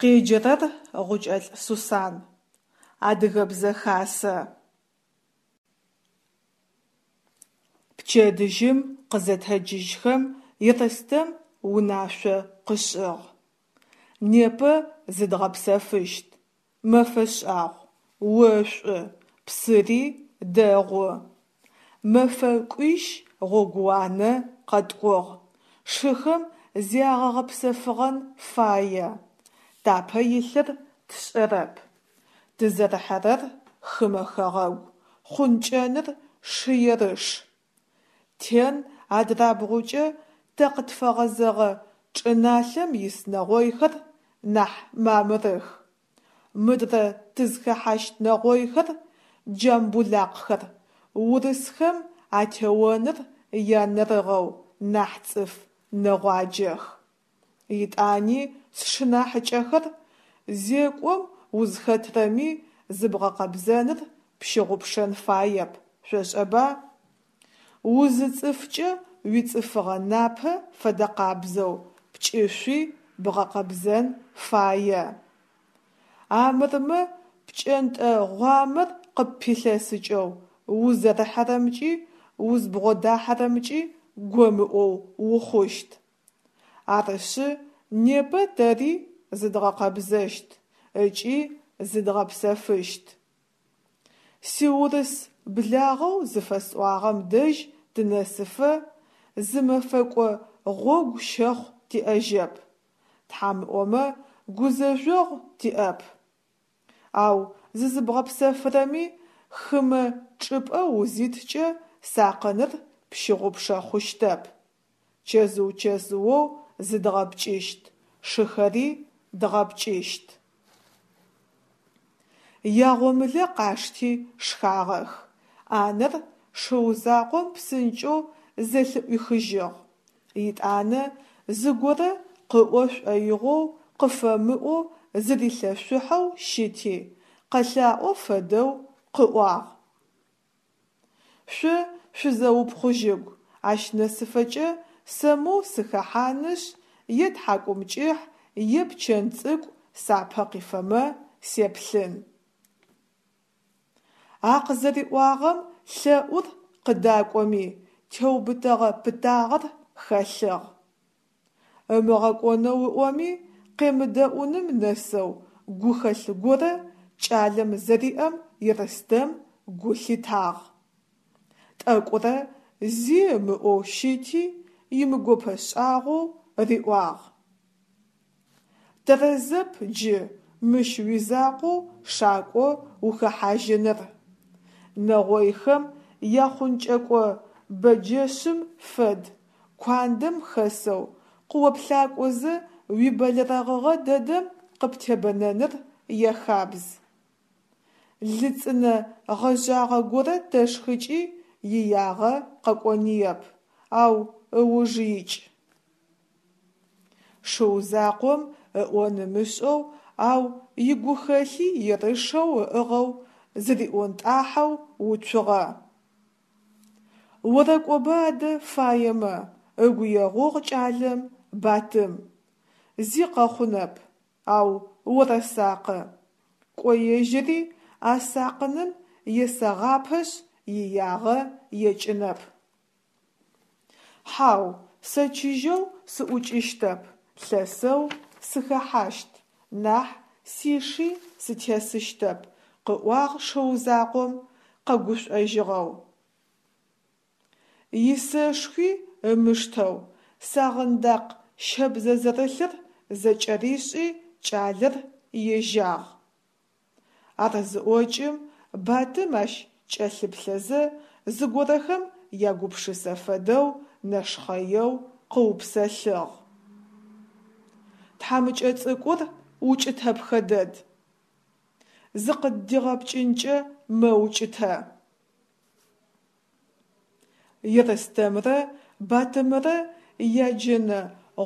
Къеджэрэр Гъукӏэлӏ Сусан. Адыгэбзэ хасэ. Пчэдыжьым къызэтэджыжьхэм Ерстэм унашъо къышӏыгъ: Непэ зыдгъэпсэфыщт, мэфэ шӏагъу, ошӏу, псыри дэгъу. Мэфэ кӏуищ гъогууанэ къэткӏугъ, шыхэм зягъэгъэпсэфыгъэн фае, тапэ илъыр тшӏэрэп. Тызэрыхьэрэр хымэ хэгъэгу, хъункӏэныр шы ерыш. Тен адрабгъукӏэ тэ къытфэгъэзэгъэ чӏыналъэм ис нэгъойхэр нахь мамырых. Мыдрэ тызхэхьащт нэгъойхэр, джамбулакхэр, урысхэм атеоныр янэрыгъэу нахь цӏыф нэгъуаджэх. Етӏани, сшынахьыкӏэхэр, зекӏом узхэтрэми зыбгъэкъэбзэныр пщыгъупшэн фаеп, шъошӏэба? УзыцӀыфкӀэ уицӀыфыгъэ напэ фэдэкъабзэу пкӏышъуи бгъэкъэбзэн фае. Амырмэ пкӏэнтӏэ гъуамэр къыппилъэсыкӏэу узэрыхьэрэмкӏи узбгъодахьэрэмкӏи гомыӏоу ухъущт. Арышъы, непэ тэри зыдгъэкъэбзэщт ыкӏи зыдгъэпсэфыщт. Сиурыс благъэу зыфэсӏуагъэм дэжь тынэсыфэ зы мэфэкӏо гъогу щэхъу тиӏэжьэп, Тхьам ыӏомэ, гузэжъогъу тиӏэп. Ау зызыбгъэпсэфырэми хымэ чӏыпӏэ узиткӏэ сакъыныр пщыгъупшэ хъущтэп. Чэзыу-чэзыоу зыдгъэпкӏыщт, шыхэри дгъэпкӏыщт. Ягъомылэ къашти шхагъэх. ӏанэр шыу закъом псынкӏэу зэлъыӏуихыжьыгъ. Етӏанэ зыгорэ къыӏо шӏоигъоу къыфэмыӏоу зырилъэшъухьэу щыти, къэлъаӏо фэдэу къыӏуагъ. Шъо шъузэупхъужьыгу, ащ нэсыфэкӏэ сэ моу сыхэхьанышъ, е тхьакӏумкӏыхь, е пчэн цӏыкӏу сапэ къифэмэ сеплъын. А къызэриӏуагъэм лъэӏур къыдакӏоми, теубытэгъэ пытагъэр хэлъыгъ. Ымыгъэкӏонэу ыӏоми, къемыдэӏуным нэсэу гухэлъ горэ кӏалэм зэриӏэм Ерстэм гу лъитагъ. Тӏэкӏурэ зи ымыӏоу щыти, имыгопэ шӏагъоу риӏуагъ. Тэрэзэп джы мыщ уизакъоу шакӏо ухэхьажьыныр. Нэгъойхэм яхъункӏэкӏо бэджэшъым фэд, куандэм хэсэу, къыоплъакӏозэ уибэлэрэгъыгъэ дэдэм къыптебэнэныр яхабз. Лы цӏынэ гъэжъагъэ горэ тэшхыкӏи иягъэ къэкӏоныеп, ау ыуж икӏ. Шыу закъом ыӏон ымышӏэу, ау игухэлъи ерышэу ыӏыгъэу зыриӏонтӏахьэу уцугъэ. Орэкӏоба адэ фаемэ, ыгу егъугъ кӏалэм Батым. Зи къэхъунэп, ау орэсакъы. Кӏо ежьыри а сакъыным есэгъапэшъ иягъэ екӏынэп. Хьау, сэ чыжьэу сыӏукӏыщтэп, лъэсэу сыхэхьащт нахь сиши сытесыщтэп, къыӏуагъ шыу закъом къэгушӏожьыгъэу. Исэшхуи ымыштэу, сагъындакъ щэбзэ зэрылъыр зэкӏэришӏи кӏалэр ежьагъ. Ар зыӏокӏым, Батым ащ кӏэлъыплъэзэ, зыгорэхэм ягупшысэ фэдэу нэшхъэеу къыупсэлъыгъ. Тхьамыкӏэ цӏыкӏур укӏытэпхэ дэд. Зыкъыддигъэпкӏынкӏэ мэукӏытэ. Ерстэмрэ Батымэрэ яджэнэ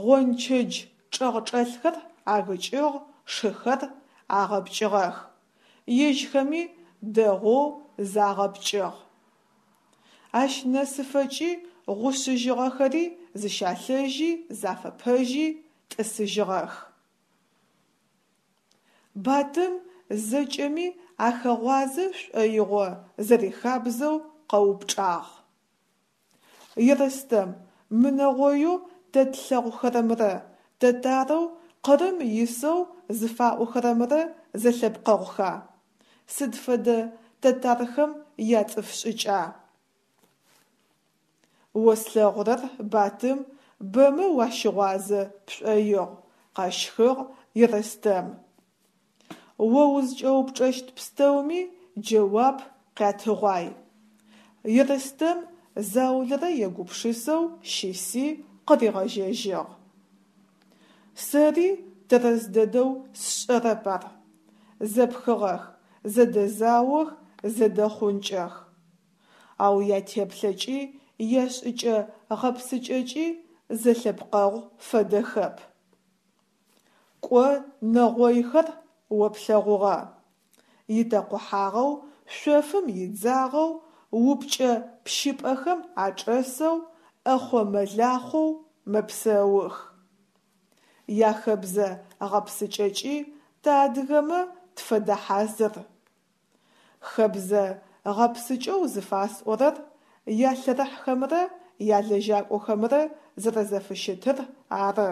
гъончэдж чӏэгъчӏэлъхэр агыкӏыгъ, шыхэр агъэпкӏыгъэх. Ежьхэми дэгъоу загъэпкӏыгъ. Ащ нэсыфэкӏи гъушъыжьыгъэхэри зыщалъэжьи зафэпэжьи тӏысыжьыгъэх. Батым зэкӏэми ахэгъуазэ шӏоигъо зэрихабзэу къэупчӏагъ. Ерстэм, мы нэгъоеу тэ тлъэгъухэрэмрэ тэтарэу Къырым исэу зыфаӏохэрэмрэ зэлъэпкъэгъуха? Сыд фэдэ тэтархэм яцӏыф шӏыкӏа? О слъэгъурэр, Батым, бэмэ уащыгъуазэ пшӏоигъу, къэщхыгъ Ерстэм. О узкӏэупчӏэщт пстэуми джэуап къятыгъуай. Ерстэм заулэрэ егупшысэу щыси къыригъэжьэжьыгъ. Сэри тэрэз дэдэу сшӏэрэп ар. Зэпхыгъэх, зэдэзаох, зэдэхъункӏэх. Ау ятеплъэкӏи яшӏыкӏэ-гъэпсыкӏэкӏи зэлъэпкъэгъу фэдэхэп. Кӏо нэгъойхэр о плъэгъугъэ. Итэкъухьагъэу, шъофым идзагъэу, упкӏэ пщыпӏэхэм ачӏэсэу, ӏэхъо-мэлахъоу мэпсэух. Яхэбзэ гъэпсыкӏэкӏи тэ адыгэмэ тфэдэ хьазыр. Хэбзэ гъэпсыкӏэу зыфасӏорэр ялъэрыхьхэмрэ ялэжьакӏохэмрэ зэрэзэфыщытыр ары.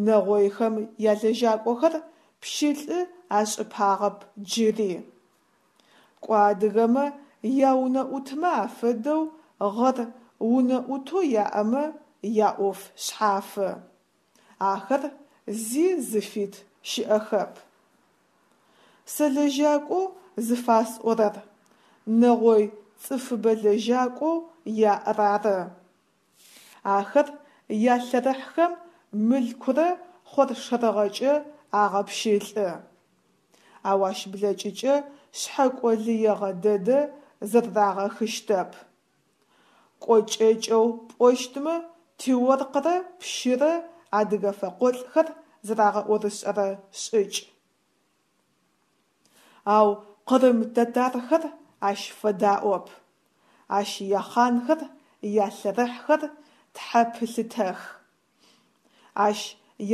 Нэгъойхэм ялэжьакӏохэр пщылӏы ашӏыпагъэп джыри. Кӏо адыгэмэ яунэӏутмэ афэдэу гъэр унэӏутэу яӏэмэ яӏоф шъхьафы. Ахэр зи зыфит щыӏэхэп. Сэ лэжьакӏоу зыфасӏорэр нэгъой цӏыфыбэ лэжьакӏоу яӏэр ары. Ахэр ялъэрыхьхэм мылъкурэ хъоршэрыгъэкӏэ агъэпщылӏы. Ау ащ блэкӏыкӏэ шъхьэкӏо лыегъэ дэдэ зэрэрагъэхыщтэп. Кӏо кӏэкӏэу пӏощтмэ, тиоркърэ пщырэ адыгэ фэкъолӏхэр зэрагъэӏорышӏэрэ шӏыкӏ. Ау къырым тэтархэр ащ фэдаӏоп. Ащ яхъанхэр, ялъэрыхьхэр тхьэпылъытэх. Ащ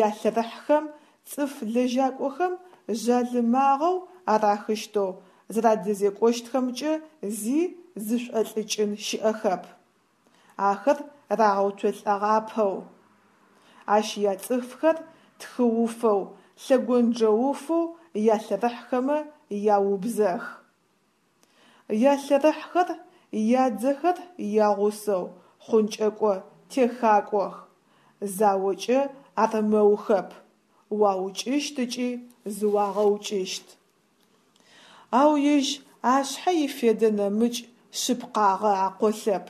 ялъэрыхьхэм цӏыф лэжьакӏохэм жъалымагъэу арахыщтэу зэрадэзекӏощтхэмкӏэ зи зышӏолӏыкӏын щыӏэхэп. Ахэр рагъэуцолӏэгъапэу. Ащ яцӏыфхэр тхыуфэу, лъэгонджэуфэу ялъэрыхьхэмэ яубзэх. Ялъэрыхьхэр ядзэхэр ягъусэу хъункӏэкӏо техакӏох, заокӏэ армэухэп, уаукӏыщт ыкӏи зыуагъэукӏыщт. Ау ежь ашъхьэ ифедэ нэмыкӏ шъыпкъагъэ акъолъэп,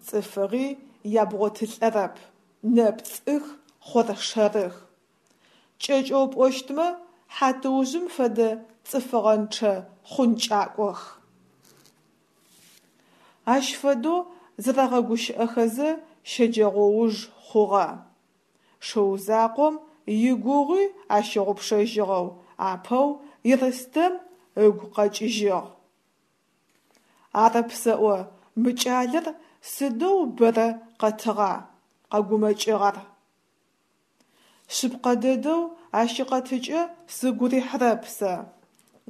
цӏыфыгъи ябгъотылӏэрэп, нэпцӏых, хъоршэрых. Кӏэкӏэу пӏощтмэ, хьатыужъым фэдэ цӏыфыгъэнчъэ хъункӏакӏох. Ащ фэдэу зэрэгъэгущыӏэхэзэ щэджэгъоуж хъугъэ. Шыу закъом игугъуи ащыгъупшэжьыгъэу апэу Ерстэм ыгу къэкӏыжьыгъ. Арэп сэӏо, мы кӏалэр сыдэу бэрэ къэтыгъа? Къэгумэкӏыгъ ар. Шъыпкъэ дэдэу ащ икъэтыкӏэ сыгу рихьырэп сэ,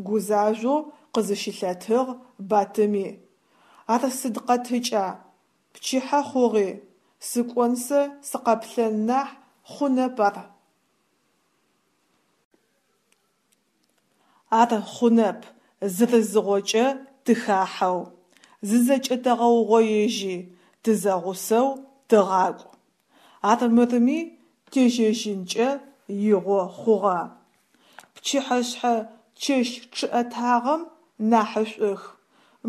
гузажъоу къызыщылъэтыгъ Батыми. Ар сыд къэтыкӏа? Пчыхьэ хъугъи, сыкӏон сэ сыкъэплъэн нахь хъунэп ар. Ар хъунэп, зырызыгъокӏэ тыхахьэу, зызэкӏэтэгъэугъоежьи, тызэгъусэу тыгъакӏу. Армырми тежьэжьынкӏэ игъо хъугъэ. Пчыхьэшъхьэ чэщ чъыӏэтагъэм нахьышӏух,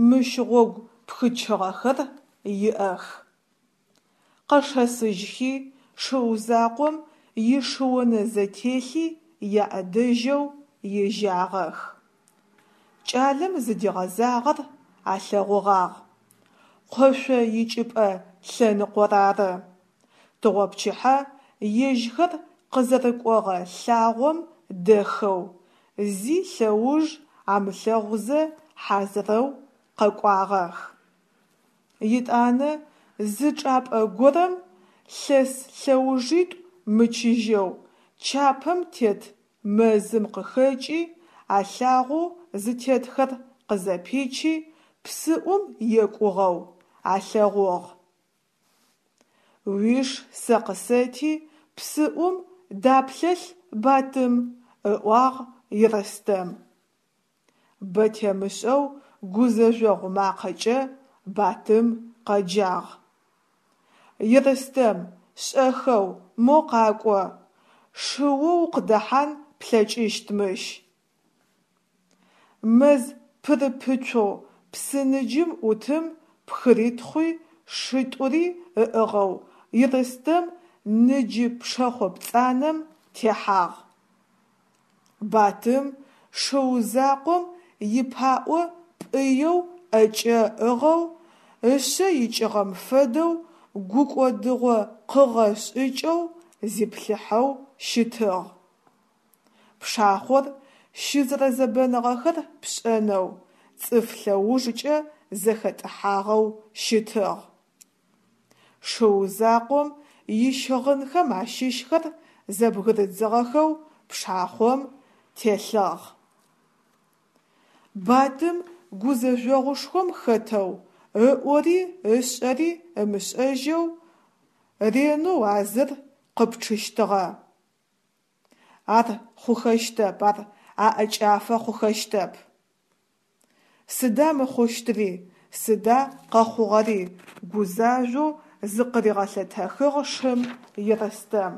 мыщ гъогу пхычыгъэхэр иӏэх. Къэшэсыжьхи, шыу закъом ишыонэзэтелъи яӏэдэжьэу ежьагъэх. Кӏалэм зыдигъэзагъэр алъэгъугъагъ. Къошъо икӏыпӏэ лъэныкъор ары. Тыгъопчыхьэ ежьхэр къызэрыкӏогъэ лъагъом дэхэу, зи лъэуж амылъэгъузэ хьазырэу къэкӏуагъэх. Етӏанэ зы чӏапӏэ горэм лъэс лъэужитӏу мычыжьэу чапэм тет Мэзым къыхэкӏи, а лъагъоу зытетхэр къызэпичи, псыӏум екӏугъэу алъэгъугъ. Уиш сэ къысэти, псыӏум даплъэлъ Батым, ыӏуагъ Ерстэм. Бэ темышӏэу гузэжъогъу макъэкӏэ Батым къэджагъ: Ерстэм, шӏэхэу мо къакӏо, шыоу укъыдэхьан плъэкӏыщт мыщ. Мэз пырыпыцоу псыныджым ӏутым пхыритхъуи шитӏури ыӏыгъэу Ерстэм ныджы пшэхъо пцӏанэм техьагъ. Батым шыу закъом ипаӏо пӏыеу ӏэкӏэ ыӏыгъэу, ышъэ икӏыгъэм фэдэу гукӏодыгъо къыгъэ шӏыкӏэу зиплъыхьэу щытыгъ. Пшахъор щызэрэзэбэныгъэхэр пшӏэнэу, цӏыф лъэужкӏэ зэхэтӏыхьагъэу щытыгъ. Шыу закъом ищыгъынхэм ащыщхэр зэбгырыдзыгъэхэу пшахъом телъыгъ. Батым гузэжъогъушхом хэтэу, ыӏори ышӏэри ымышӏэжьэу ренэу а зыр къыпчъыщтыгъэ. Ар хъухэщтэп, ар аӏэкӏафэ хъухэщтэп. Сыда мыхъущтыри, сыда къэхъугъэри, гузажъоу зыкъыригъэлъэтэхыгъ шым Ерстэм.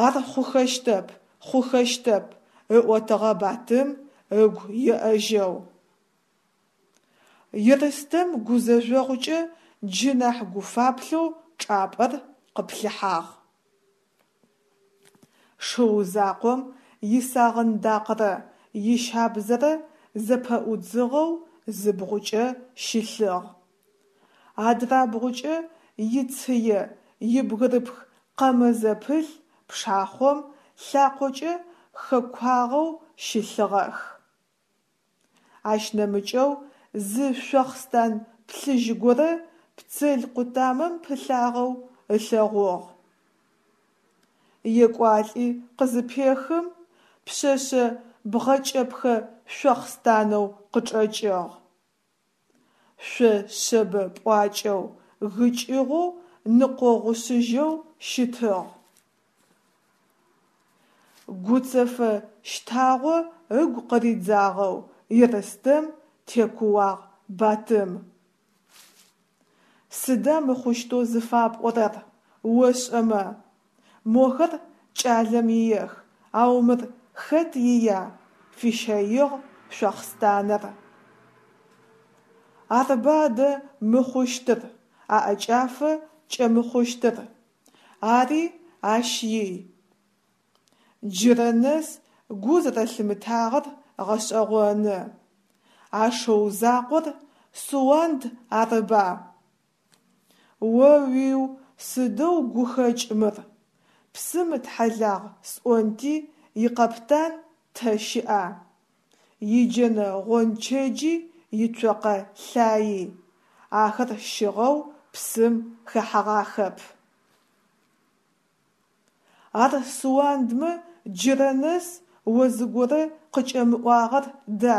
Ар хъухэщтэп, хъухэщтэп, ыӏотыгъэ Батым ыгу еӏэжьэу. Ерстэм гузэжъогъукӏэ джы нахь гуфаплъэу чӏапӏэр къыплъыхьагъ. Шыу закъом исагъындакърэ ищабзэрэ зэпэӏудзыгъэу зы бгъукӏэ щылъыгъ. Адрабгъукӏэ ицые ибгырыпх къэмэ зэпылъ пшахъом лъакъокӏэ хэкуагъэу щылъыгъэх. Ащ нэмыкӏэу зы шъохъстан плъыжь горэ пцел къутамэм пылъагъэу ылъэгъугъ. Екӏуалӏи къызыпехым, пшъэшъэ бгъэкӏэпхэ шъохъстанэу къычӏэкӏыгъ. Шъо шъэбэ пӏуакӏэу, гыкӏыгъэу, ныкъогъушъыжьэу щытыгъ. Гуцэфэ щтагъо ыгу къыридзагъэу Ерстэм текууагъ Батым. Сыда мыхъущтэу зыфапӏорэр, ошӏэмэ? Мохэр кӏалэм иех, ау мыр хэт ия? Фищэигъ шъохъстаныр. Арба адэ мыхъущтыр, аӏэкӏафэ кӏэмыхъущтыр. Ари ащ ий. Джырэ нэс гу зэрэлъымытагъэр гъэшӏэгъоны. А шыу закъор Суанд арыба? О-уиу, сыдэу гухэкӏ мыр! Псым ытхьэлагъ сӏонти икъэптан тэ щыӏа? Иджэнэ гъончэджи ицокъэ лъаий, ахэр щыгъэу псым хэхьэгъахэп. Ар Суандмэ джырэ нэс о зыгорэ къыкӏэмыӏуагъэр да,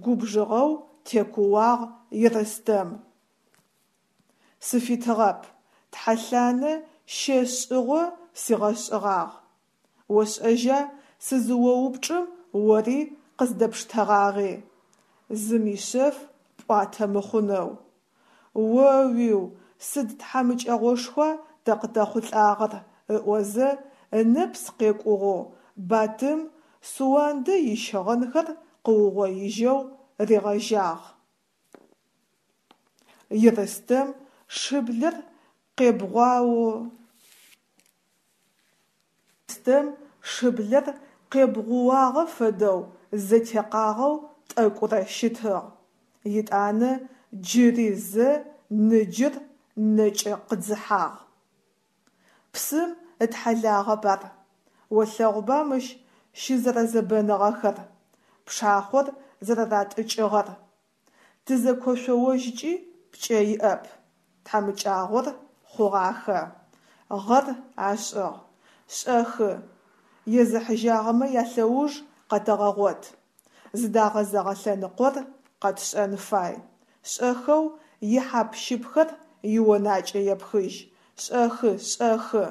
губжыгъэу текууагъ Ерстэм. Сыфитыгъэп, тхьэлъанэ щэ шӏыгъо сигъэшӏыгъагъ. Ошӏэжьа сызыоупчӏым ори къыздэпштэгъагъи, зым ишъэф пӏуатэ мыхъунэу. О-уиу, сыд тхьамыкӏэгъошхуа тэ къытэхъулӏагъэр, ыӏозэ ынэпс къекӏугъэу Батым Суандэ ищыгъынхэр къыугъоижьэу ригъэжьагъ. Ерстэм шыблэр къебгъуао. Ерстэм шыблэр къебгъууагъэ фэдэу зэтекъагъэу тӏэкӏурэ щытыгъ, етӏанэ джыри зэ ныджыр нэкӏэ къыдзыхьагъ. Псым ытхьэлагъэп ар. Олъэгъуба мыщ щызэрэзэбэныгъэхэр, пшахъор зэрэратӏыкӏыгъэр. Тызэкошъоожькӏи пкӏэ иӏэп. Тхьамыкӏагъор хъугъахэ. Гъэр ашӏыгъ. Шӏэхы. Езыхьыжьагъэмэ ялъэуж къэтэгъэгъот. Зыдагъэзэгъэ лъэныкъор къэтшӏэн фай. Шӏэхэу ихьап-щыпхэр ионакӏэ епхыжь. Шӏэхы, шӏэхы!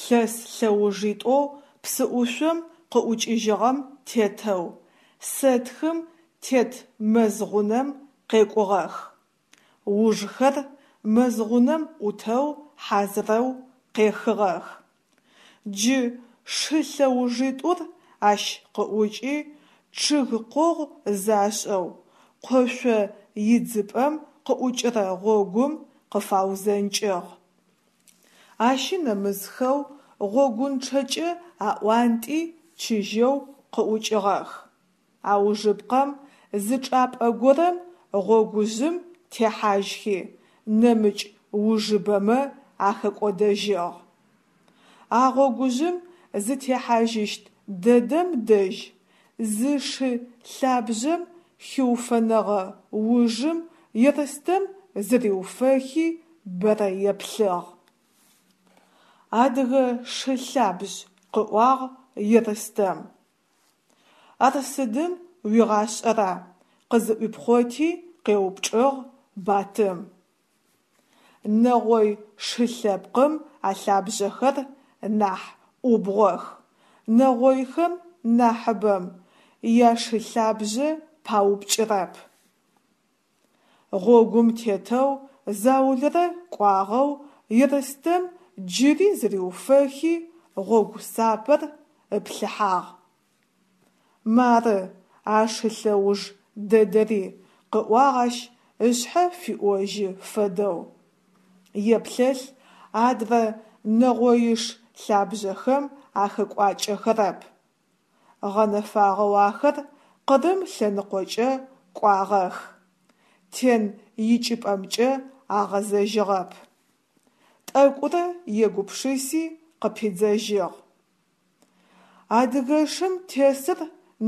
Лъэс лъэужитӏоу псыӏушъом къыӏукӏыжьыгъэм тетэу, сэтхым тет мэз гъунэм къекӏугъэх. Ужхэр мэз гъунэм ӏутэу хьазырэу къехыгъэх. Джы шы лъэужитӏур ащ къыӏукӏи, чъыг къогъу зашӏэу, къошъо идзыпӏэм къыӏукӏырэ гъогум къыфаузэнкӏыгъ. Ащи нэмысхэу гъогунчъэкӏэ аӏуантӏи чыжьэу къыӏукӏыгъэх. Аужыпкъэм зы чӏапӏэ горэм гъогужъым техьажьхи, нэмыкӏ ужыбэмэ ахэкӏодэжьыгъ. А гъогужъым зытехьажьыщт дэдэм дэжь зы шы лъабжъэм хиуфэнэгъэ ужым Ерстэм зыриуфэхи бэрэ еплъыгъ. Адыгэ шы лъабжъ, къыӏуагъ Ерстэм. Ар сыдым уигъашӏэра? къызыӏуипхъоти къеупчӏыгъ Батым. Нэгъой шы лъэпкъым алъабжъэхэр нахь ӏубгъох, нэгъойхэм нахьыбэм яшылъабжъэ паупкӏырэп. Гъогум тетэу заулэрэ кӏуагъэу Ерстэм джыри зыриуфэхи гъогу сапэр ыплъыхьагъ. Мары, а шы лъэуж дэдэри, къыӏуагъ ащ ышъхьэ фиӏожьы фэдэу. Еплъэлъ адрэ нэгъоиш лъабжъэхэм ахэкӏуакӏэхэрэп. Гъэнэфагъэу ахэр Къырым лъэныкъокӏэ кӏуагъэх, Тен икӏыпӏэмкӏэ агъэзэжьыгъэп. Тӏэкӏурэ егупшыси къыпидзэжьыгъ. Адыгэшым тесыр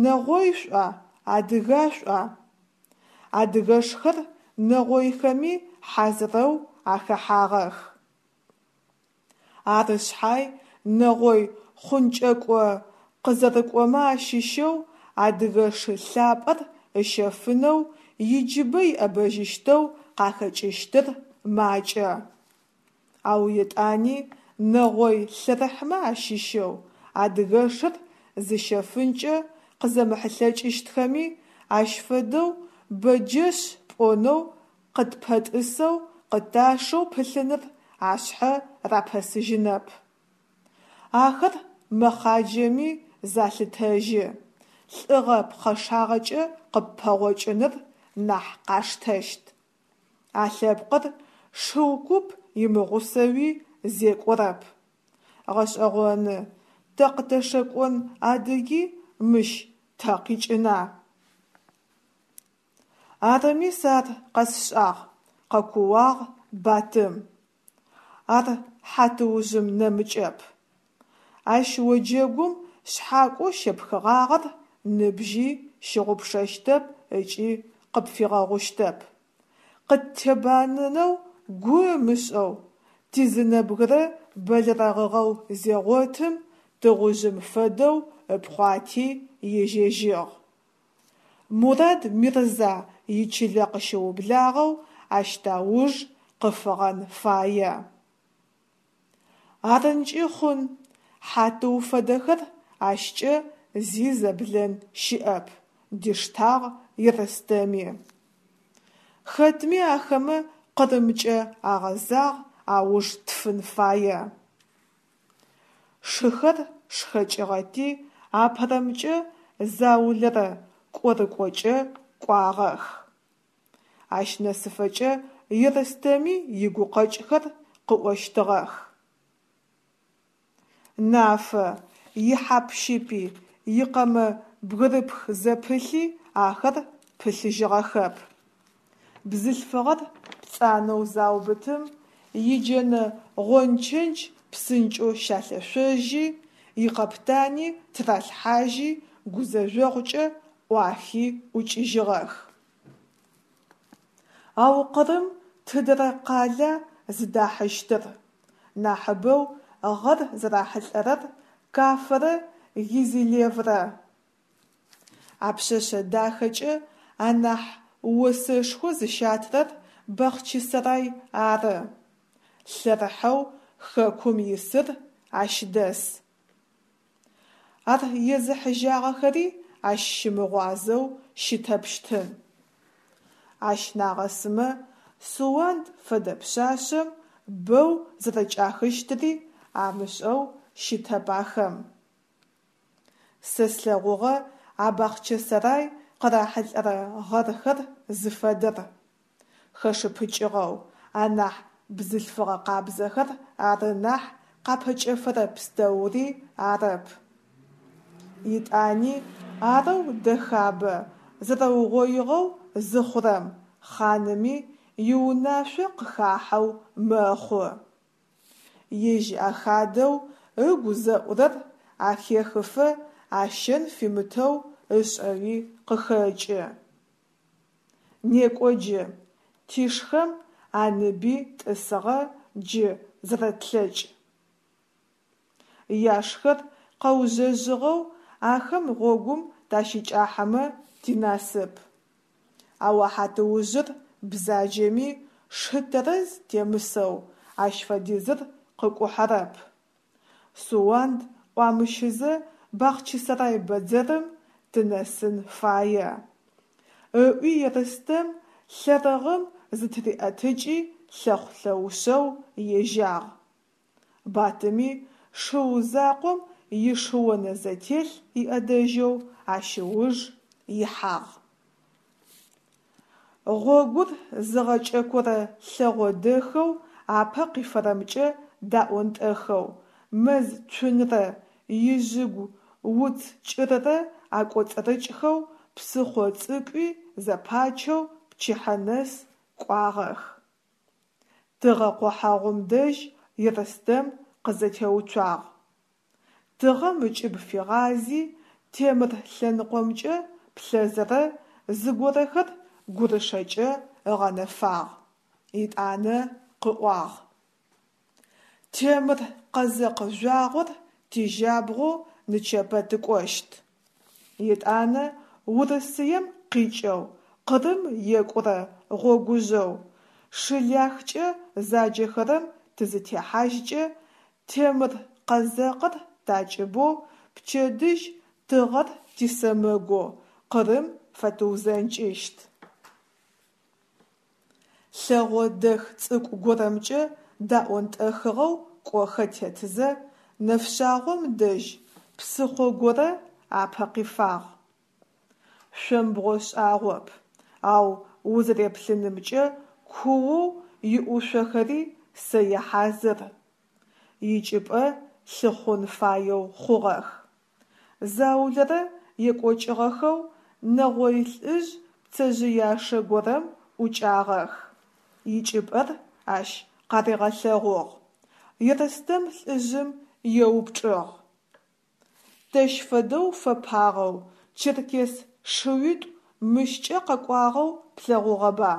нэгъой шӏуа, адыга шӏуа? Адыгэшхэр нэгъойхэми хьазырэу ахэхьагъэх. Ары шъхьай нэгъой хъункӏэкӏо къызэрыкӏомэ ащыщэу адыгэ шы лъапӏэр ыщэфынэу иджыбэ иӏэбэжьыщтэу къахэкӏыщтыр макӏэ. Ау етӏани нэгъой лъэрыхьмэ ащыщэу адыгэшыр зыщэфынкӏэ къызэмыхьылъэкӏыщтхэми, ащ фэдэу бэджэшъ пӏонэу къытпэтӏысэу къыташэу пылъыныр ашъхьэ рапэсыжьынэп. Ахэр мэхъаджэми залъытэжьы, лӏыгъэ пхъэшагъэкӏэ къыппэгъокӏыныр нахь къаштэщт. А лъэпкъыр шыу куп имыгъусэуи зекӏорэп. Гъэшӏэгъоны, тэ къытэшэкӏон адыги мыщ тэ къикӏына? Арыми сэ ар къэсшӏагъ, къэкууагъ Батым. Ар хьатыужъым нэмыкӏэп. Ащ оджэгум шъхьакӏоу щепхыгъагъэр ныбжьи щыгъупшэщтэп ыкӏи къыпфигъэгъущтэп. Къыттебанэнэу гу ымышӏэу, тизы нэбгырэ бэлэрэгъыгъэу зегъотым, тыгъужъым фэдэу ыпхъуати ежьэжьыгъ. Мурад-Мирза ичылэ къыщыублагъэу ащ тауж къыфыгъэн фае. Арынкӏи хъун, Хьатыу фэдэхэр ащкӏэ зи зэблэн щыӏэп, диштагъ Ерстэми. Хэтми ахэмэ Къырымкӏэ агъэзагъ, ауж тфын фае. Шыхэр шхэкӏыгъэти, апэрэмкӏэ заулэрэ кӏорыкӏокӏэ кӏуагъэх. Ащ нэсыфэкӏэ Ерстэми игукъэкӏхэр къыӏощтыгъэх. Нафэ, ихьап-щыпи, икъэмэ бгырыпх зэпылъи ахэр пылъыжьыгъэхэп. Бзылъфыгъэр пцӏанэу заубытым, иджэнэ гъончэдж псынкӏэу щалъэшъожьи, икъэптани тыралъхьажьи, гузэжъогъукӏэ ӏуахи ӏукӏыжьыгъэх. Ау Къырым тыдэрэ къала зыдахьыщтыр? Нахьыбэу гъэр зэрахьылӏэрэр Кафэрэ Гезилеврэ. А пшъэшъэ дахэкӏэ анахь осэшхо зыщатырэр Бахъчысэрай ары, лъэрыхьэу хэкум исыр ащ дэс. Ар езыхьыжьагъэхэри ащ щымыгъуазэу щытэпщтын. Ащ нагъэсымэ, Суанд фэдэ пшъашъэм бэу зэрэкӏахыщтыри амышӏэу щытэп ахэм. Сэ слъэгъугъэ а Бахъчысэрай къырахьылӏэрэ гъэрхэр зыфэдэр. Хэшыпыкӏыгъэу, анахь бзылъфыгъэ къабзэхэр ары нахь къапэкӏэфэрэ пстэури арэп. Етӏани арэу дэхабэ зэрэугъоигъэу зыхъурэм хъаными иунашъо къыхахьэу мэхъу. Ежь ахадэу ыгу зэӏурэр ахехыфэ ащэн фимытэу ышӏэуи къыхэкӏы. Некӏо джы, тишхэм аныби тӏысыгъэ, джы зэрэтлъэкӏ. Яшхэр къэужъэжъыгъэу ахэм гъогум тащыкӏахьэмэ тинасып. Ау а хьатыужъыр бзаджэми, шы тэрэз темысэу ащ фэдизыр къыкӏухьэрэп. Суанд ӏуамыщызэ Бахъчысэрай бэдзэрым тынэсын фае. Ыӏуи Ерстэм лъэрыгъым зытыриӏэтыкӏи лъэхъу-лъэушъэу ежьагъ. Батыми шыу закъом ишыонэзэтелъ иӏэдэжьэу ащ ыуж ихьагъ. Гъогур зыгъэкӏэкорэ лъэгъо дэхэу апэ къифэрэмкӏэ даӏонтӏэхэу, мэз цунрэ ижъыгу уц кӏыррэ акӏоцӏырыкӏхэу, псыхъо цӏыкӏуи зэпачэу пчыхьэ нэс кӏуагъэх. Тыгъэ къохьэгъум дэжь Ерстэм къызэтеуцуагъ. Тыгъэм ыкӏыб фигъази, темыр лъэныкъомкӏэ плъэзэрэ зыгорэхэр гурышэкӏэ ыгъэнэфагъ, етӏанэ къыӏуагъ: Темыр къэзэкъ жъуагъор тижьабгъоу нычэпэ тыкӏощт. Етӏанэ Урысыем къикӏэу Къырым екӏурэ гъогужъэу Шыляхкӏэ заджэхэрэм тызытехьажькӏэ, темыр къэзэкъыр такӏыбэу, пчэдыжь тыгъэр тисэмэгоу Къырым фэтыузэнкӏыщт. Лъэгъо дэх цӏыкӏу горэмкӏэ даӏонтӏэхыгъэу кӏохэ тетызэ, нэфшъагъом дэжь псыхъо горэ апэ къифагъ. Шъомбгъо шӏагъоп, ау узэреплъынымкӏэ куоу иӏушъохэри сэе хьазыр. Икӏыпӏэ лъыхъун фаеу хъугъэх. Заулэрэ екӏокӏыгъэхэу нэгъой лӏыжъ пцэжъыяшэ горэм ӏукӏагъэх. Икӏыпӏэр ащ къаригъэлъэгъугъ. Ерстэм лӏыжъым еупчӏыгъ: Тэщ фэдэу фэпагъэу черкес шыуитӏу мыщкӏэ къэкӏуагъэу плъэгъугъэба?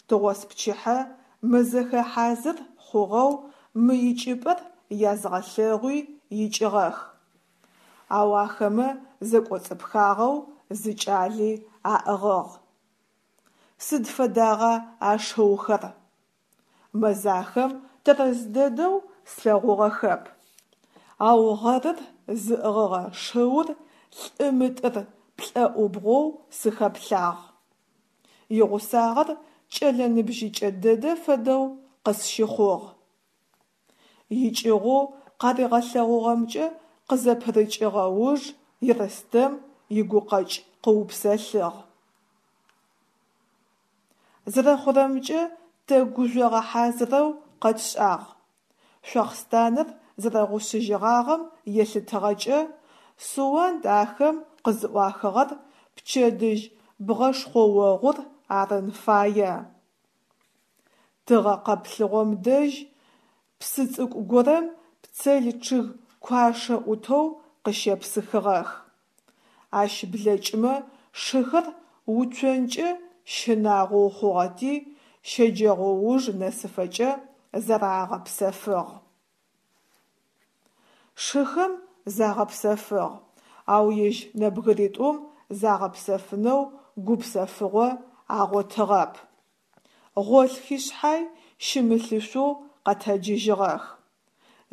Тыгъоспчыхьэ мэзэхэ хьазыр хъугъэу мы икӏыпӏэр язгъэлъэгъуи икӏыгъэх. Ау ахэмэ зэкӏоцӏыпхагъэу зы кӏали аӏыгъыгъ. Сыд фэдагъа а шыухэр? Мэзахэм тэрэз дэдэу слъэгъугъэхэп. Ау гъэрыр зыӏыгъыгъэ шыур лӏы мытӏыр плӏэӏубгъоу сыхэплъагъ. Игъусагъэр кӏэлэ ныбжьыкӏэ дэдэ фэдэу къысщыхъугъ. Икӏыгъоу къаригъэлъэгъугъэмкӏэ къызэпырыкӏыгъэ уж Ерстэм игукъэкӏ къыупсэлъыгъ. Зэрэхъурэмкӏэ, тэ гужъогъэ хьазырэу къэтшӏагъ. Шъуахъстанэр зэрэгъушъыжьыгъагъэм елъытыгъэкӏэ, Суанд ахэм къызыӏуахыгъэр пчэдыжь бгъэшхъоогъур арын фае. Тыгъэ къэплъыгъом дэжь псы цӏыкӏу горэм пцел чъыг куашэ ӏутэу къыщепсыхыгъэх. Ащ блэкӏымэ шыхэр уцонкӏэ щынагъоу хъугъэти, щэджэгъоуж нэсыфэкӏэ зарагъэпсэфыгъ. Шыхэм загъэпсэфыгъ, ау ежь нэбгыритӏум загъэпсэфынэу гупсэфыгъо агъотыгъэп. Гъолъхи шъхьай щымылъышъоу къэтэджыжьыгъэх.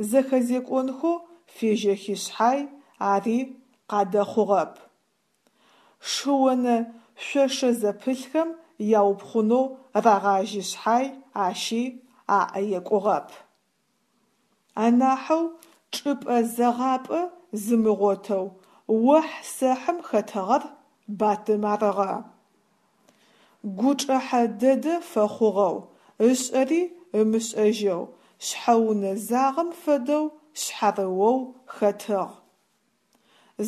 Зэхэзекӏонхэу фежьэхи шъхьай ари къадэхъугъэп. Шыонэ шъошэ зэпылъхэм яупхъунэу рагъажьи шъхьай ащи аӏэ екӏугъэп. Анахьэу чӏыпӏэ зэгъапӏэ зымыгъотэу охь-сэхьым хэтыгъэр Батым арыгъэ. Гучӏэхьэ дэдэ фэхъугъэу, ышӏэри ымышӏэжьэу, шъхьэунэзагъэм фэдэу шъхьарыоу хэтыгъ.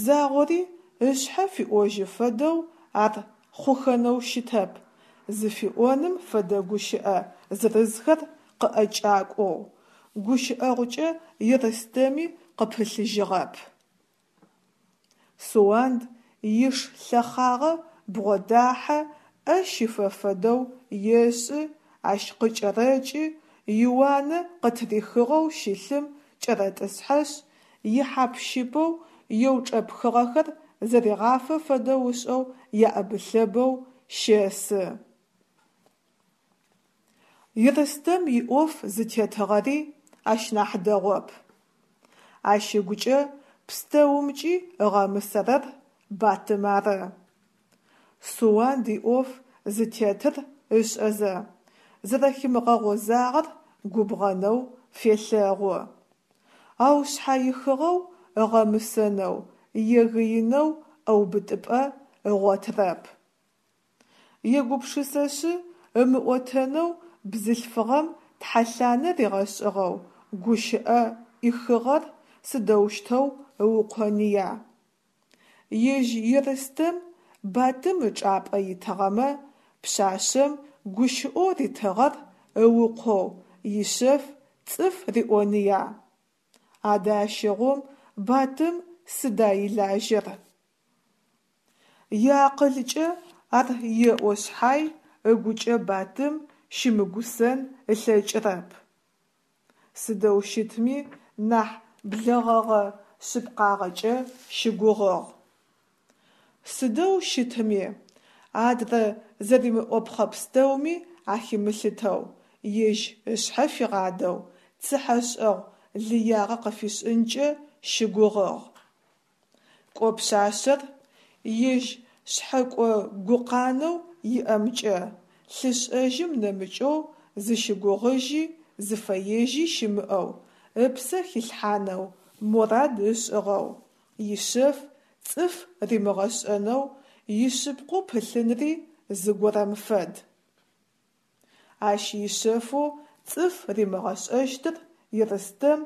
Загъори ышъхьэ фиӏожьы фэдэу ар хъухэнэу щытэп зыфиӏоным фэдэ гущыӏэ зырызхэр къыӏэкӏакӏоу, гущыӏэгъукӏэ Ерстэми къыпылъыжьыгъэп. Суанд иш лъэхъагъэ бгъодахьэ, ӏэ щифэ фэдэу ешӏы, ащ къыкӏэрэкӏы, иуанэ къытырихыгъэу щылъым кӏэрэтӏысхьэшъ, ихьап-щыпэу еучӏэпхыгъэхэр зэригъафэ фэдэу ышӏэу еӏэбы-лъэбэу щэсы. Ерстэм иӏоф зытетыгъэри ащ нахь дэгъоп. Ащ ыгукӏэ пстэумкӏи ыгъэмысэрэр Батым ары. Суанд иӏоф зытетыр ышӏэзэ, зэрэхимыгъэгъозагъэр губгъэнэу фелъэгъу. Ау шъхьаихыгъэу ыгъэмысэнэу, егыинэу ӏэубытыпӏэ ыгъотырэп. Егупшысэшъы, ымыӏотэнэу бзылъфыгъэм тхьэлъанэ ригъэшӏыгъэу гущыӏэ ӏихыгъэр сыдэущтэу ыукъоныя? Ежь Ерстэм Батым ычӏапӏэ итыгъэмэ, пшъашъэм гущыӏэу ритыгъэр ыукъоу ишъэф цӏыф риӏоныя? Адэ ащыгъум Батым сыда илажьэр? Иакъылкӏэ ар еӏо шъхьай, ыгукӏэ Батым щымыгусэн ылъэкӏырэп. Сыдэу щытми нахь блэгъэгъэ-шъыпкъагъэкӏэ щыгугъыгъ. Сыдэу щытми, адрэ зэримыӏопхъэ пстэуми ахимылъытэу, ежь ышъхьэ фигъадэу, цыхьэшӏэгъу лыягъэ къыфишӏынкӏэ щыгугъыгъ. Кӏо пшъашъэр, ежь шъхьэкӏо-гукъанэу иӏэмкӏэ, лъышӏэжьым нэмыкӏэу зыщыгугъыжьи зыфэежьи щымыӏэу, ыпсэ хилъхьанэу морад ышӏыгъэу, ишъэф цӏыф римыгъэшӏэнэу ишъыпкъэу пылъынри зыгорэм фэд. Ащ ишъэфэу цӏыф римыгъэшӏэщтыр Ерстэм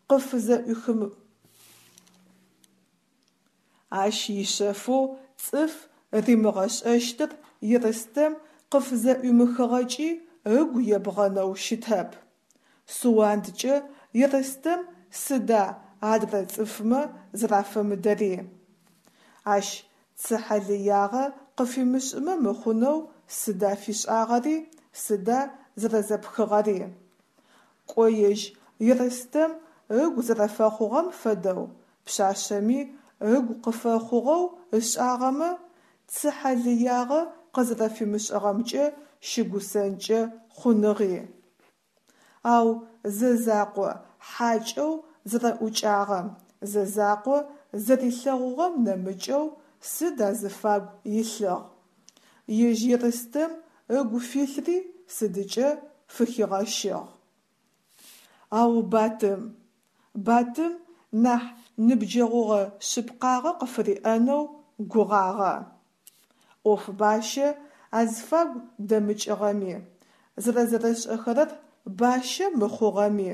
къыфызэӏуихым. Ащ ишъэфэу цӏыф римыгъэшӏэщтыр Ерстэм къыфызэӏуимыхыгъэкӏи ыгу ебгъэнэу щытэп. Суандкӏэ Ерстэм сыда адрэ цӏыфмэ зэрафэмыдэри? Ащ цыхьэ лыягъэ къыфимышӏымэ мыхъунэу сыда фишӏагъэри, сыда зэрэзэпхыгъэри? Кӏо ежь Ерстэм ыгу зэрэфэхъугъэм фэдэу пшъашъэми ыгу къыфэхъугъэу ышӏагъэмэ, цыхьэ лыягъэ къызэрэфимышӏыгъэмкӏэ щыгусэнкӏэ хъуныгъи. Ау зэзакъо хьакӏэу зэрэӏукӏагъэм, зэзакъо зэрилъэгъугъэм нэмыкӏэу сыд азыфагу илъыгъ? Ежь Ерстэм ыгу филъри сыдыкӏэ фыхигъэщыгъ? Ау Батым. Батым нахь ныбджэгъугъэ шъыпкъагъэ къыфыриӏэнэу гугъагъэ. ӏоф бащэ азфагу дэмыкӏыгъэми, зэрэзэрэшӏэхэрэр бащэ мыхъугъэми,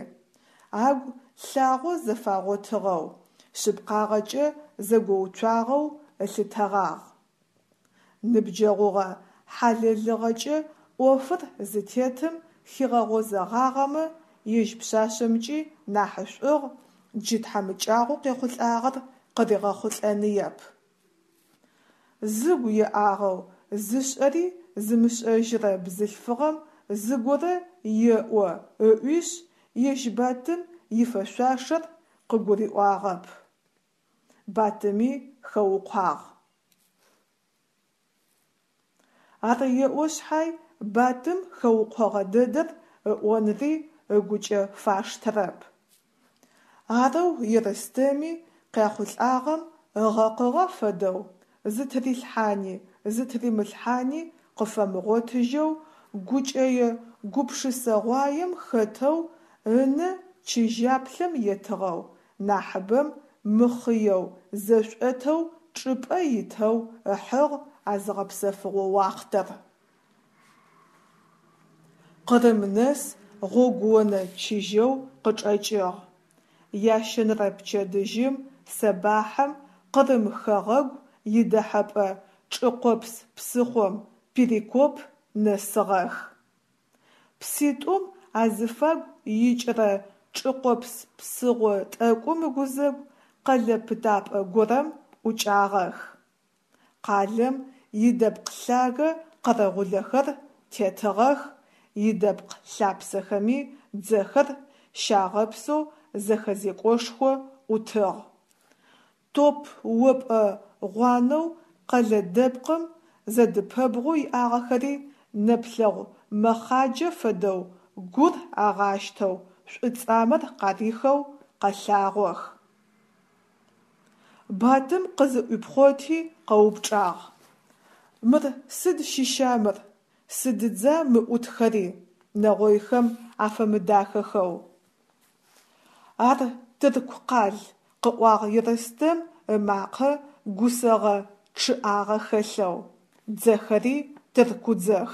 агу лъагъо зэфагъотыгъэу, шъыпкъагъэкӏэ зэгоуцуагъэу ылъытэгъагъ. Ныбджэгъугъэ хьалэлыгъэкӏэ ӏофыр зытетым хигъэгъозэгъагъэмэ, ежь пшъашъэмкӏи нахьышӏугъ, джы тхьамыкӏагъоу къехъулӏагъэр къыригъэхъулӏэныеп. Зыгу еӏагъэу, зышӏэри зымышӏэжьырэ бзылъфыгъэм зыгорэ еӏо ыӏуишъ, ежь Батым ифэшъуашэр къыгурыӏуагъэп. Батыми хэукъуагъ. Ар еӏо шъхьай, Батым хэукъогъэ дэдэр ыӏонри ыгукӏэ фаштэрэп. Арэу Ерстэми къехъулӏагъэм ыгъэкъыгъэ фэдэу, зытырилъхьани зытыримылъхьани къыфэмыгъотыжьэу гукӏэе гупшысэгъуаем хэтэу ынэ чыжьаплъэм етыгъэу, нахьыбэм мыхъыеу, зэшӏотэу чӏыпӏэ итэу ыхьыгъ а зыгъэпсэфыгъо уахътэр. Къырым нэс гъогуонэ чыжьэу къычӏэкӏыгъ. Ящэнэрэ пчэдыжьым сэбахьым Къырым хэгъэгу идэхьэпӏэ чӏыкъопс псыхъом Перекоп нэсыгъэх. Пситӏум азыфагу икӏырэ чӏыкъопс псыгъо тӏэкӏум ыгузэгу къэлэ пытапӏэ горэм ӏукӏагъэх. Къалэм идэпкъ лъагэ къэрэгъулэхэр тетыгъэх, идэпкъ лъапсэхэми дзэхэр щагъэпсэу зэхэзекӏошхо ӏутыгъ. Топ опӏэ гъуанэу къэлэ дэпкъым зэдыпэбгъоу иӏагъэхэри нэплъэгъу мэхъаджэ фэдэу гур агъащтэу, шӏуцӏамэр къарихэу къэлъагъох. Батым къызыӏуипхъоти къэупчӏагъ: Мыр сыд щыща мыр, сыдыдза мы ӏутхэри, нэгъойхэм афэмыдахэхэу? Ар тырку къал, къыӏуагъ Ерстэм ымакъэ гусэгъэ чъыӏагъэ хэлъэу, дзэхэри тыркудзэх.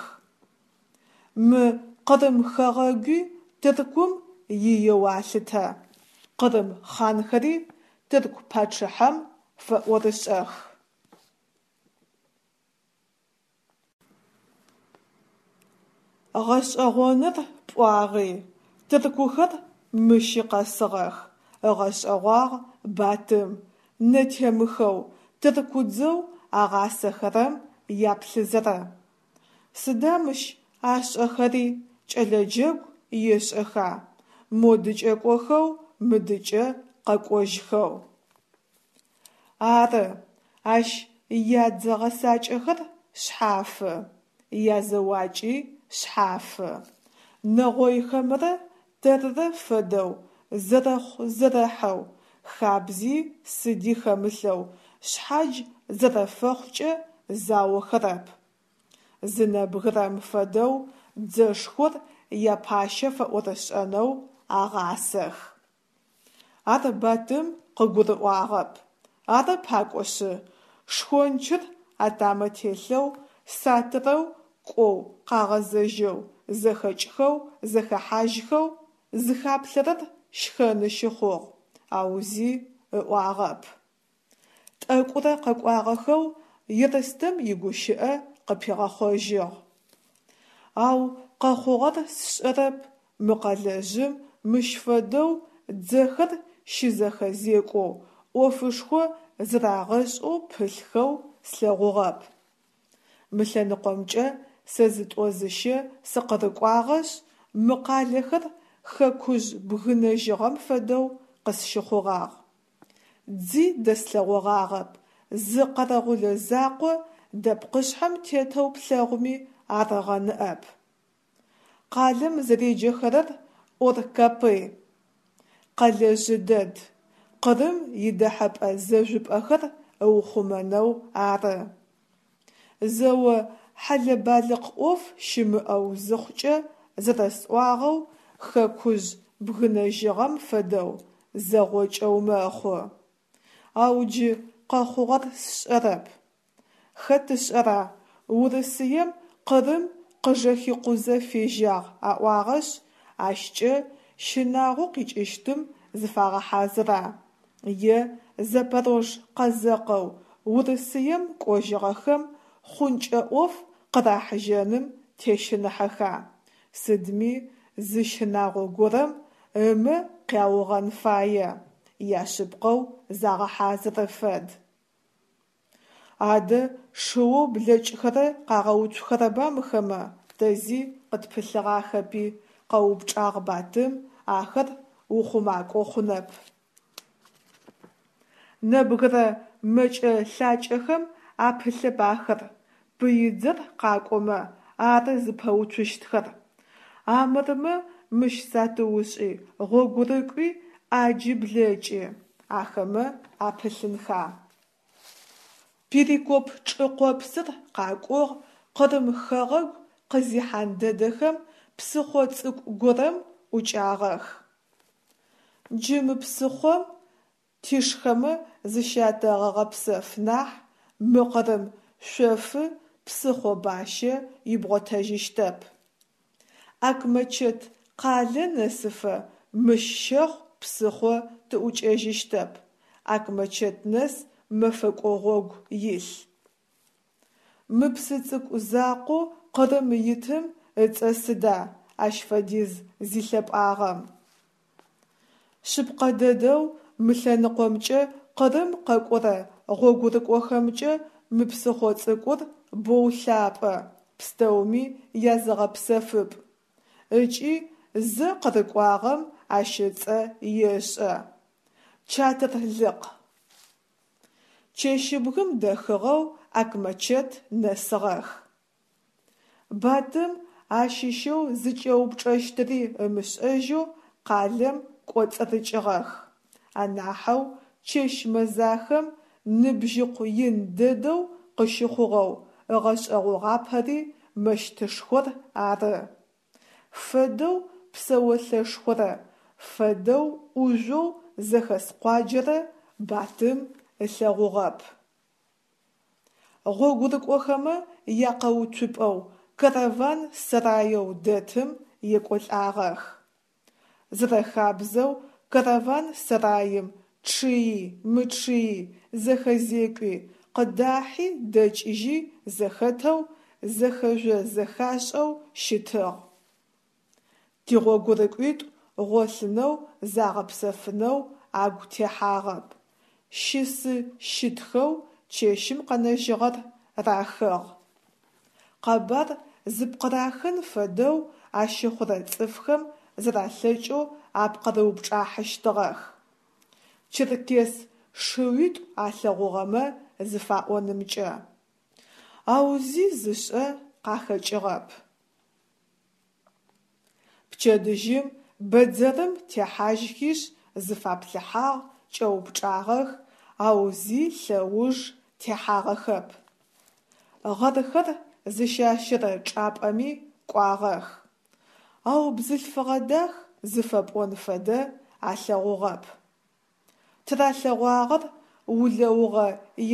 Мы Къырым хэгъэгуи Тыркум иеу алъытэ, къырым хъанхэри тырку пачъыхьэм фэӏорышӏэх. Гъэшӏэгъоныр пӏуагъи, тыркухэр мыщи къэсыгъэх, ыгъэшӏэгъуагъ Батым, нэтемыхэу тыркудзэу агъасэхэрэм яплъызэрэ. Сыда мыщ ашӏэхэри, кӏэлэ джэгу ешӏэха, модыкӏэ кӏохэу, мыдыкӏэ къэкӏожьхэу? Ары, ащ ядзэ гъэсакӏэхэр шъхьафы, язэуакӏи шъхьафы. Нэгъойхэмрэ тэррэ фэдэу зэрэхъу-зэрэхьэу, хабзи сыди хэмылъэу шъхьадж зэрэфэхъукӏэ заохэрэп. Зы нэбгырэм фэдэу дзэшхор япащэ фэӏорышӏэнэу агъасэх. Ар Батым къыгурыӏуагъэп. Ары пакӏошъы, шхончыр атамэ телъэу сатырэу кӏоу къагъэзэжьэу, зэхэкӏхэу, зэхэхьажьхэу зыхаплъэрэр щхэны щыхъугъ, ау зи ыӏуагъэп. Тӏэкӏурэ къэкӏуагъэхэу Ерстэм игущыӏэ къыпигъэхъожьыгъ. Ау къэхъугъэр сшӏэрэп, мы къэлэжъым мыщ фэдэу дзэхэр щызэхэзекӏоу, ӏофышхо зырагъэшӏэу пылъхэу слъэгъугъэп. Мы лъэныкъомкӏэ сэ зытӏо-зыщэ сыкъырыкӏуагъэшъ, мы къалэхэр хэкужъ бгынэжьыгъэм фэдэу къысщыхъугъагъ. Дзи дэслъэгъогъагъэп, зы къэрэгъулэ закъо дэпкъышъхьэм тетэу плъэгъуми арыгъэ ныӏэп. Къалэм зэреджэхэрэр Ор-Капы. Къэлэжъы дэд, Къырым идэхьэпӏэ зэжъупӏэхэр ыухъумэнэу ары. Зэо хьэлэ-балыкъ ӏоф щымыӏэу зыхъукӏэ зэрэсӏуагъэу, хэкужъ бгынэжьыгъэм фэдэу зэгъокӏэу мэхъу. Ау джы къэхъугъэр сшӏэрэп. Хэт ышӏэра, Урысыем Къырым къыжэхикъузэ фежьагъ аӏуагъэшъ, ащкӏэ щынагъоу къикӏыщтым зыфагъэхьазыра, е запорож къэзэкъэу Урысыем кӏожьыгъэхэм хъункӏэ ӏоф къырахьыжьэным тещыныхьэха, сыдми зы щынагъо горэм ымэ къяугъэн фае, яшъыпкъэу загъэхьазыры фэд. Адэ шыоу блэкӏхэрэр къагъэуцухэрэба мыхэмэ, тэ зи къытпылъыгъахэпи, къэупчӏагъ Батым, ахэр ухъумакӏо хъунэп. Нэбгырэ мэкӏэ-лъакӏэхэм апылъэп ахэр, пыидзэр къакӏомэ ары зыпэуцущтхэр. Амырмэ мыщ сатыушӏи, гъогурыкӏуи ӏаджи блэкӏы, ахэмэ апылъынха. Перекоп чӏы къопсыр къакӏугъ, Къырым хэгъэгу къызихьан дэдэхэм псыхъо цӏыкӏу горэм ӏукӏагъэх. Джы мы псыхъом тишхэмэ зыщятэгъэгъэпсэф нахь, мы Къырым шъофы псыхъо бащэ ибгъотэжьыщтэп. Акмэчэт къалэ нэсыфэ мыщ щэхъу псыхъо тыӏукӏэжьыщтэп, Акмэчэт нэс мэфэкӏо гъогу илъ. Мы псы цӏыкӏу закъоу Къырым итым ыцӏэ сыда ащ фэдиз зилъэпӏагъэм? Шъыпкъэ дэдэу мы лъэныкъомкӏэ Къырым къэкӏорэ гъогурыкӏохэмкӏэ мы псыхъо цӏыкӏур боу лъапӏэ, пстэуми языгъэпсэфыпӏ. Ыкӏи зэ къырыкӏуагъэм ащ ыцӏэ ешӏэ. Чатырлыкъ. Чэщыбгым дэхыгъэу Акмэчэт нэсыгъэх. Батым ащыщэу зыкӏэупчӏэщтыри ымышӏэжьэу къалэм кӏоцӏырыкӏыгъэх. Анахьэу чэщ мэзахэм ныбжьыкъу ин дэдэу къыщыхъугъэу ыгъэшӏэгъогъапэри мэщытышхор ары. Фэдэу псэолъэшхорэ, фэдэу ӏужъоу зэхэс къуаджэрэ Батым ылъэгъугъэп. Гъогурыкӏохэмэ якъэуцупӏэу караван сэраеу дэтым екӏолӏагъэх. Зэрэхабзэу караван сэраим чъыи, мычъыи, зэхэзекӏуи, къыдахьи дэкӏыжьи зэхэтэу, зэхэжъо-зэхашӏэу щытыгъ. Тигъогурыкӏуитӏу гъолъынэу загъэпсэфынэу агу техьагъэп, щысы-щытхэу чэщым къэнэжьыгъэр рахыгъ. Къэбар зыпкъырахын фэдэу ащыхъурэ цӏыфхэм зэралъэкӏэу апкъырыупчӏахьыщтыгъэх. Черкес шыуитӏу алъэгъугъэмэ зыфаӏонымкӏэ. Ау зи зышӏэ къахэкӏыгъэп. Пчэдыжьым бэдзэрым техьажьхишъ зыфаплъыхьагъ, кӏэупчӏагъэх, ау зи лъэуж техьагъэхэп. Гъэрхэр зыщащэрэ чӏапӏэми кӏуагъэх, ау бзылъфыгъэ дах зыфэпӏон фэдэ алъэгъугъэп. Тыралъэгъуагъэр улэугъэ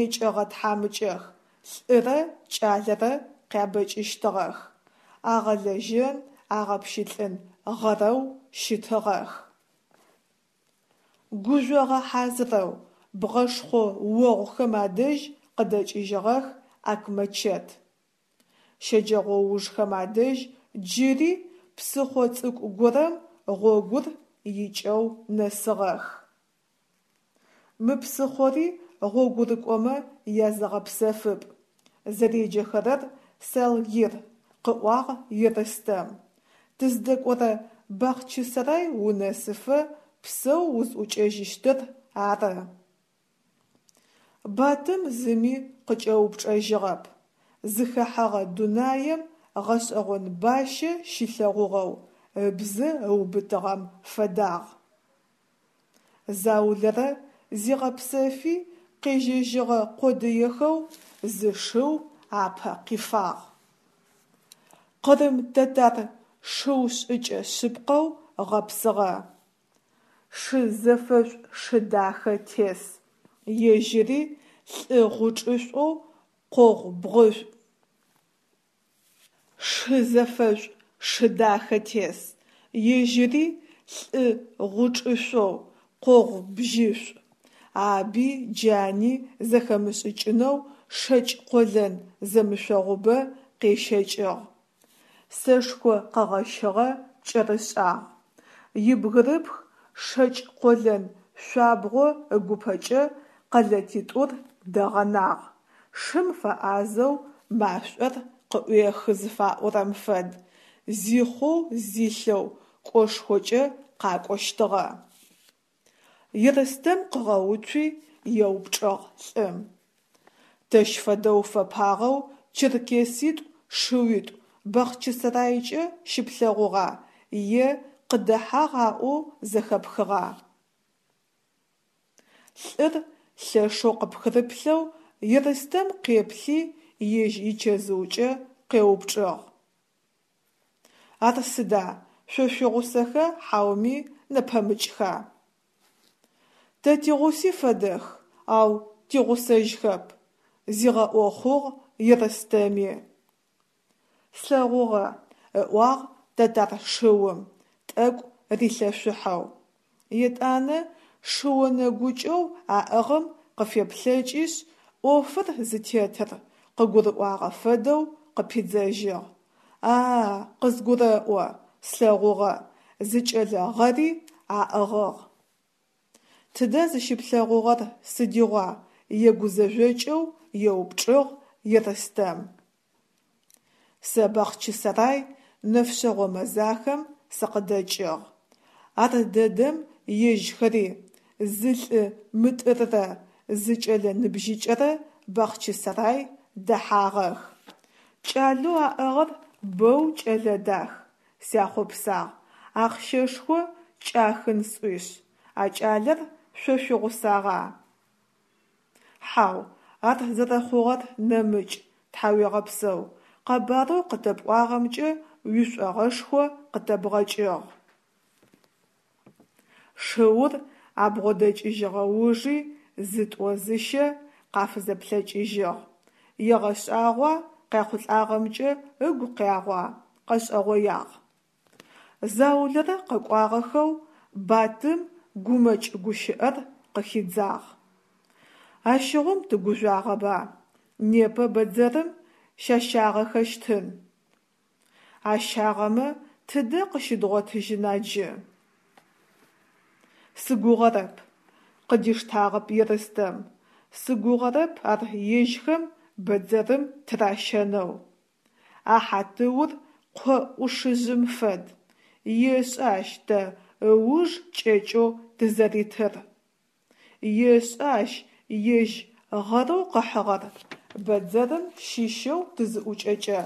екӏэгъэ тхьамыкӏэх, лӏырэ кӏалэрэ къябэкӏыщтыгъэх, агъэлэжьэн, агъэпщылӏын гъэрэу щытыгъэх. Гужъогъэ хьазырэу, бгъэшхъо огъухэм адэжь къыдэкӏыжьыгъэх Акмэчэт. Щэджэгъоужхэм адэжь джыри псыхъо цӏыкӏу горэм гъогур икӏэу нэсыгъэх. Мы псыхъори гъогурыкӏомэ языгъэпсэфыпӏ, зэреджэхэрэр Салгир, къыӏуагъ Ерстэм. Тыздэкӏорэ Бахъчысэрай унэсыфэ псэу узӏукӏэжьыщтыр ары. Батым зыми къыкӏэупчӏэжьыгъэп, зыхэхьэгъэ дунаем гъэшӏэгъон бащэ щилъэгъугъэу ыбзэ ыубытыгъэм фэдагъ. Заулэрэ зигъэпсэфи къежьэжьыгъэ къодыехэу зы шыу апэ къифагъ. Къырым тэтар шыу шӏыкӏэ шъыпкъэу гъэпсыгъэ. Шы зэфэшӏу шы дахэ тес, ежьыри лӏы гъучӏышӏоу къогъу бгъушӏу. Шы зэфэшӏу шы дахэ тес, ежьыри лӏы гъучӏышъоу, къогъу бжьышӏу. Аби джани зэхэмышӏыкӏынэу шэкӏ къолэн зэмышъогъубэ къещэкӏыгъ. Сэшхо къэгъэщыгъэ кӏэрышӏагъ. Ибгырыпх шэкӏ къолэн шъуабгъо ыгупэкӏэ къэлэтитӏур дэгъэнагъ, шым фэӏазэу машӏор къыӏуехы зыфаӏорэм фэд, зихъоу-зилъэу кӏошхокӏэ къакӏощтыгъэ. Ерстэм къыгъэуцуи, еупчӏыгъ лӏым. Тэщ фэдэу фэпагъэу черкеситӏу шыуитӏу Бахъчысэрайкӏэ щыплъэгъугъа е къыдэхьагъ аӏоу зэхэпхыгъа? Лӏыр лъэшэу къыпхырыплъэу Ерстэм къеплъи, ежь ичэзыукӏэ къеупчӏыгъ: Ар сыда, шъо шъуигъусэха хьауми нэпэмыкӏха? Тэ тигъуси фэдэх, ау тигъусэжьхэп, зигъэӏохъугъ Ерстэми. Слъэгъугъэ, ыӏуагъ тэтар шыум, тӏэкӏу рилъэшъухьэу. Етӏанэ шыонэгукӏэу аӏыгъым къыфеплъэкӏишъ, ӏофыр зытетыр къыгурыӏуагъэ фэдэу къыпидзэжьыгъ: А-а, къызгурэӏо, слъэгъугъэ, зы кӏэлэ гъэри аӏыгъыгъ. Тыдэ зыщыплъэгъугъэр, сыдигъуа? егузэжъокӏэу еупчӏыгъ Ерстэм. Сэ Бахъчысэрай нэфшъэгъо мэзахэм сыкъыдэкӏыгъ. Ар дэдэм ежьхэри, зы лӏы мытӏыррэ зы кӏэлэ ныбжьыкӏэрэ Бахъчысэрай дэхьагъэх. Кӏалэу аӏыгъыр боу кӏэлэ дах, сяхъопсагъ, ахъщэшхо кӏахын сӏуишъ, а кӏалэр шъо шъуигъусагъа? Хьау, ар зэрэхъугъэр нэмыкӏ, тхьауегъэпсэу, къэбарэу къытэпӏуагъэмкӏэ уишӏогъэшхо къытэбгъэкӏыгъ. Шыур абгъодэкӏыжьыгъэ ужи зытӏо-зыщэ къафызэплъэкӏыжьыгъ: егъэшӏагъуа, къяхъулӏагъэмкӏэ ыгу къягъуа – къэшӏэгъоягъ. Заулэрэ къэкӏуагъэхэу Батым гумэкӏ гущыӏэр къыхидзагъ: Ащыгъум тыгужъуагъэба, непэ бэдзэрым щащагъэхэщтын. Ащагъэмэ тыдэ къыщыдгъотыжьына джы? Сыгугъэрэп, къыдиштагъэп Ерстэм, сыгугъэрэп ар ежьхэм бэдзэрым тыращэнэу. А хьатыур къо ӏушыжъым фэд, ешӏэ ащ тэ ыуж кӏэкӏэу тызэритыр. Ешӏэ ащ ежь гъэрэу къыхьыгъэр бэдзэрым щыщэу тызыӏукӏэкӏэ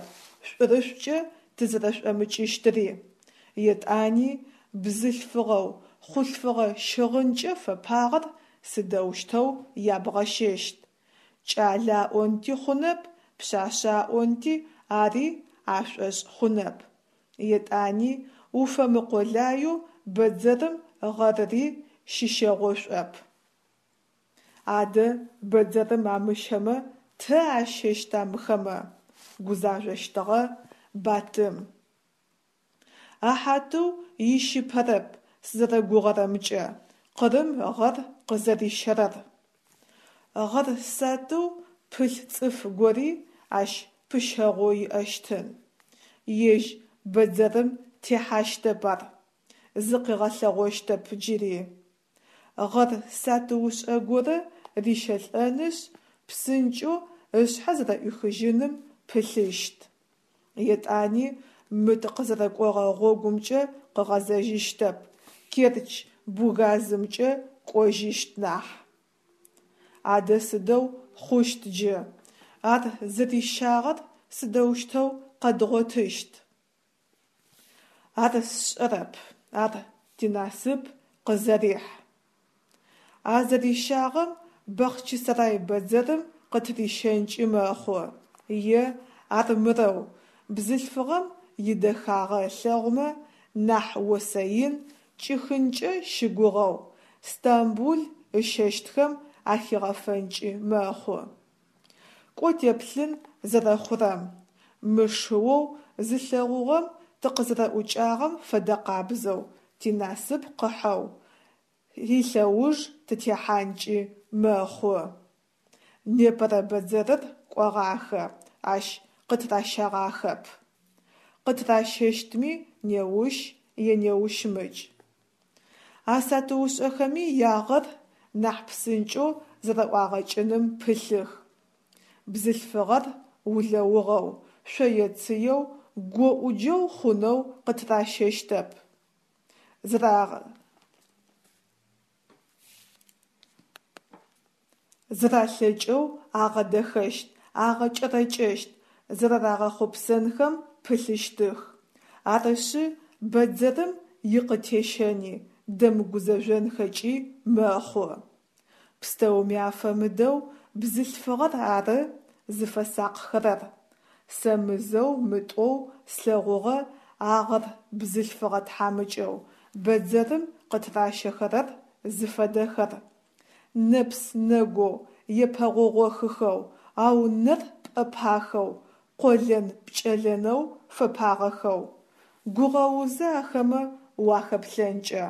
шӏурышӏукӏэ тызэрэшӏомыкӏыщтыри. Етӏани бзылъфыгъэу хъулъфыгъэ щыгъынкӏэ фэпагъэр сыдэущтэу ябгъэщэщт? Кӏалэ аӏонти хъунэп, пшъашъэ аӏонти ари ашӏошъ хъунэп. Етӏани уфэмыкъулаеу бэдзэрым гъэрыри щыщэгъошӏоп. Адэ бэдзэрым амыщэмэ тэ ащэщта мыхэмэ? Гузажъощтыгъэ Батым. А Хьатыу ищыпэрэп сызэрэгугъэрэмкӏэ Къырым гъэр къызэрищэрэр. Гъэр сатыу пылъ цӏыф гори ащ пыщэгъоу иӏэщтын. Ежь бэдзэрым техьащтэп ар, зыкъигъэлъэгъощтэп джыри. Гъэр сатыушӏэ горэ рищэлӏэнышъ, псынкӏэу ышъхьэ зэрэӏуихыжьыным пылъыщт. Етӏани мы тыкъызэрэкӏогъэ гъогумкӏэ къыгъэзэжьыщтэп, Керчь бугазымкӏэ кӏожьыщт нахь. Адэ сыдэу хъущт джы? Ар зэрищагъэр сыдэущтэу къэдгъотыщт? Ар сшӏэрэп, ар тинасып къызэрихь. А зэрищагъэм Бахъчысэрай бэдзэрым къытырищэнкӏи мэхъу, е армырэу, бзылъфыгъэм идэхагъэ ылъэгъумэ, нахь осэ ин кӏихынкӏэ щыгугъэу, Стамбул ыщэщтхэм ахигъэфэнкӏи мэхъу. Кӏо теплъын зэрэхъурэм. Мы шыоу зылъэгъугъэм тыкъызэрэӏукӏагъэм фэдэкъабзэу тинасып къыхьэу илъэуж тытехьанкӏи мэхъу. Непэрэ бэдзэрыр кӏогъахэ, ащ къытыращэгъахэп. Къытыращэщтми неущ е неущмыкӏ. А сатыушӏэхэми ягъэр нахь псынкӏэу зэрэӏуагъэкӏыным пылъых. Бзылъфыгъэр улэугъэу, шъое-цыеу, гоӏуджэу хъунэу къытыращэщтэп. Зэралъэкӏэу агъэдэхэщт, агъэкӏэрэкӏэщт, зэрэрагъэхъопсэнхэм пылъыщтых. Арышъы, бэдзэрым икъытещэни дэмыгузэжъонхэкӏи мэхъу. Пстэуми афэмыдэу бзылъфыгъэр ары зыфэсакъхэрэр. Сэ мызэу-мытӏоу слъэгъугъэ агъэр бзылъфыгъэ тхьамыкӏэу бэдзэрым къытыращэхэрэр зыфэдэхэр. Нэпс-нэгоу, епэгъогъохыхэу, ау нэр пӏэпахэу, къолэн-пкӏэлэнэу фэпагъэхэу. Гугъэузы ахэмэ уахэплъэнкӏэ.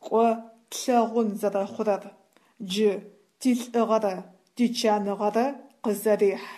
Кӏо, тлъэгъун зэрэхъурэр. Джы тилӏыгъэрэ тичаныгъэрэ къызэрехь.